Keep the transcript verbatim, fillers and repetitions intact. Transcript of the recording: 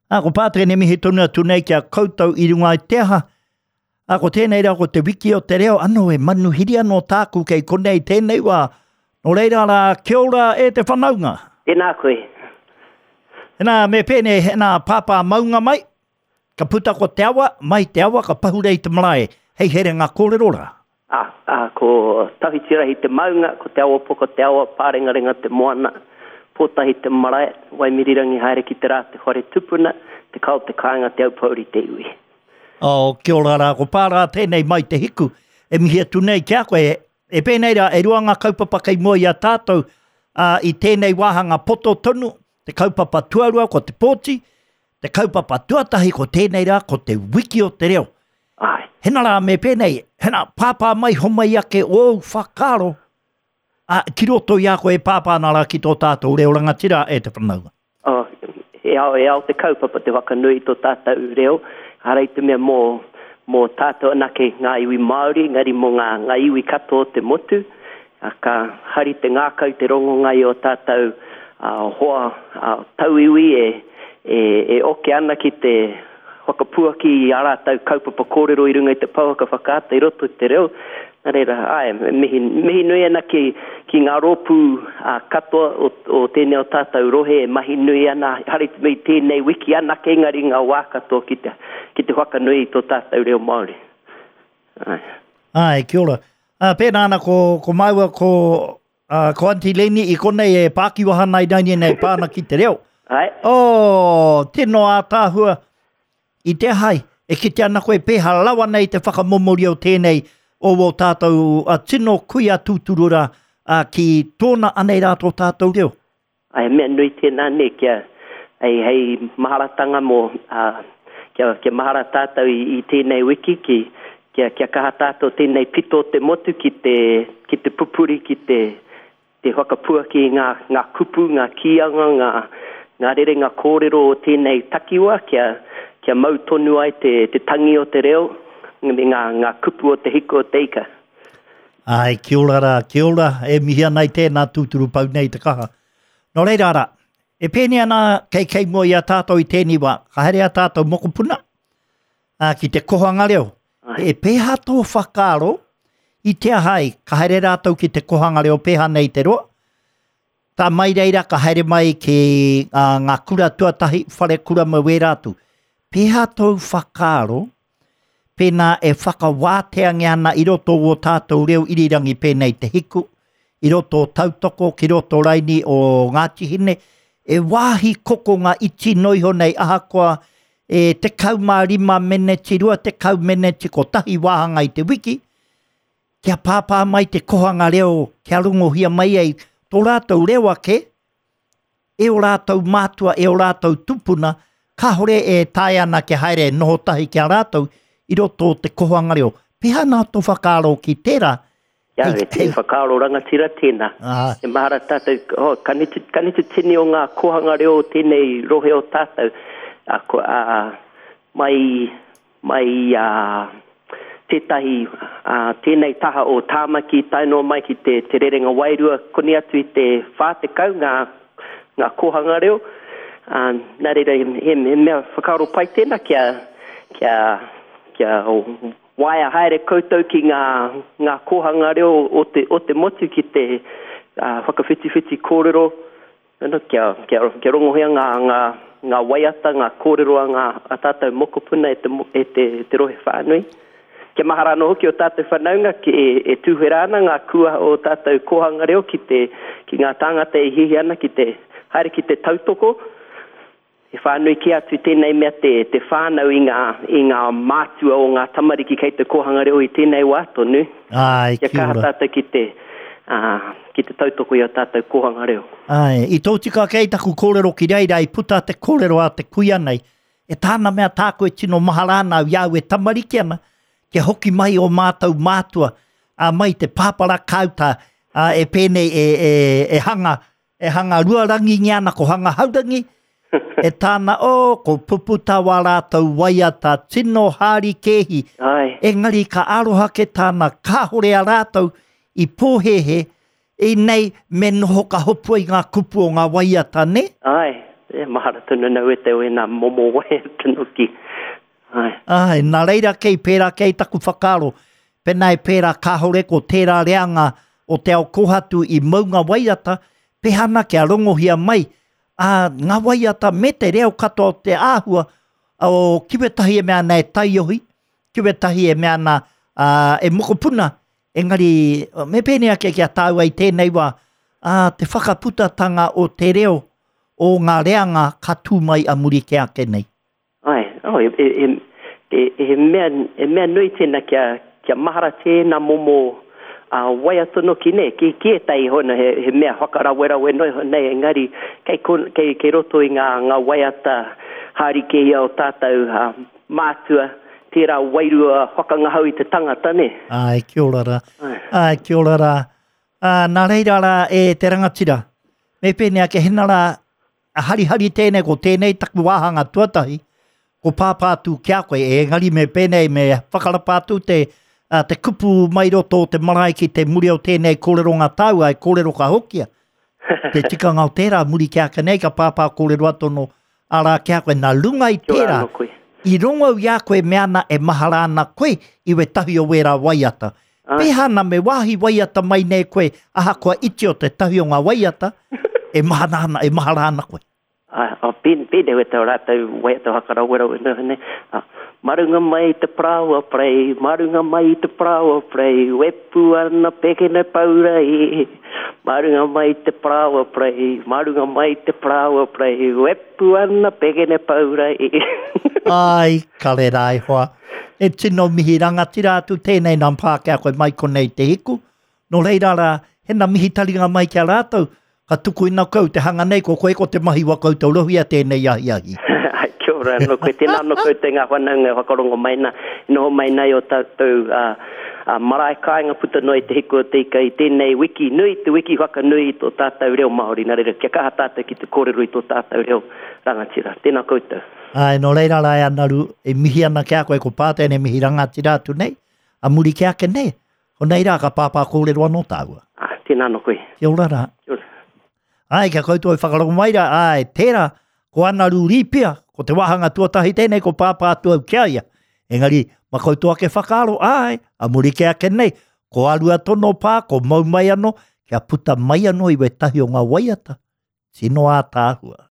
Ā, ko Pātere mihi tonu atu nei ki a koutou i runga i te aha. Ā, ko tēnei rā ko te wiki o te reo, anō e manuhiri anō tāku kei konei tēnei wā. Nō reira rā, kia ora e te whanaunga. Tēnā koe. Hena, me pēnei, hena pāpā maunga mai, ka puta ko te awa, mai te awa, ka pahure i te marae, hei here ngā kōrero rā. Ā, ā, ko Tawhitirahi te maunga, ko Te Awapoko te awa, Pārengarenga te moana, Pōtahi te marae, Waimirirangi haere ki te rā te whare tupuna, Te Kao te kāinga, Te Aupōuri te iwi. Oh, kia ora rā, ko Pārā tēnei mai te hiku, e mihi atu nei ki a koe, e pēnei rā, e rua ngā kaupapa kei mua i a tātou, ā, i tēnei wāhanga poto tonu, te kaupapa tuarua ko te pōti, te kaupapa tuatahi ko tēnei rā, ko te wiki o te reo. Āe. Hena rā, me pēnei, hena, pāpā mai homai ake ōu whakaaro, ā, ki roto i a koe e pāpā ana rā ki tō tātou reo rangatira e te whanaunga. Oh, e ao, e ao te kaupapa te whakanui i tō tātou reo, ara i te mea mō, mō tātou anake ngā iwi Māori, engari mō ngā, ngā iwi katoa o te motu, a, ka hari te ngākau te rongonga i o tātou a, hoa a, tauiwi e, e, e oke ana ki te whakapuaki i ā rātou kaupapa kōrero i runga i te pouaka whakaata i roto i te reo. Nā reira, āe, mihi, mihi nui ana ki, ki ngā rōpū a, katoa o, o tēnei o tātou rohe e mahi nui ana, hari te mei tēnei wiki anake engari ngā wā katoa ki te, ki te whakanui i tō tātou reo Māori. Āe. Āe, kia ora. Ā, pēnā ana ko, ko māua ko, uh, ko Aunty Leni i konei e pākiwaha nei nei nei pā ana ki te reo. Āe. Oh, tino ātaahua. I te hai, e kite ana koe pēhā rawa nei te whakamomori o tēnei o o tātou a tino kuia tūturu rā a, ki tōna anei rā tō tātou reo. Ai, mea nui tēnā ne, kia, hei, hei maharatanga mō, uh, kia, kia mahara tātou i, i tēnei wiki, ki, kia, kia kaha tātou tēnei pito o te motu ki te, ki te pupuri, ki te, te whakapuaki i ngā, ngā kupu, ngā kīanga, ngā, ngā rerenga kōrero o tēnei takiwa, kia, kia mau tonu ai te, te tangi o te reo, me ngā, ngā kupu o te hiko o te ika. Ai, kia ora rā, kia ora, e mihi ana i tēnā tūturu pau nei te kaha. Nō reira rā, e pēnei ana kei kei mua i a tātou i tēnei wā, ka haere a tātou mokopuna ā, ki te kohanga reo. Ai. E pēhā tō whakaaro i te ahai, ka haere rātou ki te kohanga reo pēhā nei te roa, tā mai reira ka haere mai ki uh, ngā kura tuatahi, whare kura me wērā atu. Pēhā tōu whakaaro, pēnā e whakawāteangia ana i roto o tātou reo irirangi pēnei te hiku, i roto o tautoko, ki roto raini o Ngāti Hine, e wāhi kokonga iti noiho nei ahakoa e tekau mā rima meneti, rua tekau meneti, kotahi wāhanga i te wiki, kia pāpā mai te kohanga reo, kia rongohia mai ai tō rātou reo ake, e o rātou mātua, e o rātou tupuna, kāhore e tae ana kia haere noho tahi ki a rātou i roto o te kohanga reo. Pēhā nā tō whakaaro ki tērā? Ia, Hei, e te hei. whakaaro rangatira tēnā. Ah. E mahara tātou, oh, ka nitu, ka nitu tini o ngā kohanga reo o tēnei rohe o tātou. A, ko, a, mai, mai a, tētahi, a, tēnei taha o Tāmaki, tae noa mai ki te, te rerenga wairua, koni atu i te whā tekau ngā, ngā kohanga reo. A, nā reira, he, he, he mea whakaaro pai tēnā kia, kia, kia waea haere koutou ki ngā, ngā kohanga reo o te, o te motu ki te uh, whakawhitiwhiti kōrero, ano, kia, kia, kia rongohia ngā, ngā, ngā waiata, ngā kōrero a ngā a tātou mokopuna e te, e te, te rohe whānui. Kia mahara anō hoki o tātou whanaunga ki, e, e tūwhera ana ngā kua o tātou kohanga reo ki, te, ki ngā tāngata e hihi ana ki te haere ki te tautoko. E whānui ki atu tēnei mea te, te whānau i ngā, i ngā mātua o ngā tamariki kei te kohanga reo i tēnei wā tonu. Ai, Kia kia kaha ora. tātou ki te, uh, ki te tautoko i o tātou kohanga reo. Ai, i tō tika kei taku kōrero ki reira i puta te kōrero a te kuia nei. E tāna mea tāku e tino mahara ana au i au e tamariki ana, kia hoki mai o mātou mātua, a mai te pāpara kāuta, a, e pēnei e, e, e hanga, e hanga ruarangi ana ko hanga haurangi, e tāna, o, ko puputa wā rātou waiata, tino hāri kēhi. Ai. Engari ka aroha ke tāna, kāhore a rātou i pōhehe, i nei me noho ka hopua i ngā kupu o ngā waiata, ne? Ai. E, mahara tonu nau e te o e nā momo waiata noki. Ai. Ai, nā reira kei pērā kei taku whakaaro, pēnā e pērā kāhore ko tērā reanga o te ao kōhatu i maunga waiata, pehana kia rongohia mai, a ngā waiata me te reo katoa o te āhua o kiwetahi e mea ana e taiohi, kiwetahi e mea ana uh, e mokopuna, engari me pēnei ake kia tāua i tēnei wā, a, te whakaputatanga o te reo o ngā reanga ka tū mai a muri ke ake nei. Ai, oh, e, e, e, e, mea, e mea nui tēnā kia, kia mahara tēnā momo uh, waiata noki nei, ki, ki e tai hona he, he mea whakarawerawe noi ho nei, engari kei, kei, kei roto i ngā, ngā waiata haere ke ia o tātou uh, mātua, tērā wairua whakangahau i te tangata, ne? Ai, kia ora rā. Ai, Ai kia ora rā. Uh, nā reira rā e te rangatira. Me pēnei ake hena rā, harihari tēnei, ko tēnei taku wāhanga tuatahi, ko pāpā atu ki a koe, e engari me pēnei me whakarapa atu te, uh, te kupu mai roto o te marae ki te muri o tēnei kōrero ngā tāua, e kōrero ka hokia. Te tikanga o tērā muri ki ake nei, ka pāpā kōrero atono arā ki a koe, nā runga i tērā, i rongo i a koe me ana e mahara ana koe i wetahi o wērā waiata. Pēhana me wāhi waiata mai nei koe, ahakoa iti o te tahi o ngā waiata, e mahana ana, e mahara ana koe. Ah, oh, pēne we tau rātou waiata whakarawerawe noho nei. Ah, marunga mai te paraoa prei, marunga mai te paraoa prei, wepu ana pekene paura i. Marunga mai te paraoa prei, marunga mai te paraoa prei, wepu ana pekene paura i. Ai, kare rā e hoa. E tino mihi rangatira atu tēnei nā Pākehā koe mai konei te hiku. Nō reira rā, hena mihi taringa mai ki a rātou, ka tukuina kau te hanga nei, ko koe ko te mahi wa koutou rohia tēnei ahi ahi. Ai, kia ora anō koe, tēnā anō koutou ngā whanaunga whakarongo mai nā, noho mai nei o tātou uh, uh, marae kāinga puta noa i te hiku o te ika i tēnei wiki nui, te wiki whakanui i tō tātou reo Māori. Nā reira, kia kaha tātou ki te kōrero i tō tātou reo rangatira. Tēnā koutou. Ai, nō reira rā e Anaru, e mihi ana ki a koe, ko pātene mihi rangatira atu nei, a muri ki ake nei, ko nei rā ka pāpā kōrero anō tāua. Ah, tēnā anō koe. Kia ora rā. Kia ora. Ai, kia koutou e whakarongo mai rā, ai, tērā, ko Anaru Rīpia, ko te wāhanga tuatahi tēnei, ko pāpā atu au ki a ia. Engari, ma koutou ake whakaaro, ai, a muri ke ake nei, ko arua tono pā, ko mau mai anō, kia puta mai anō i wetahi o ngā waiata. Tino ātaahua.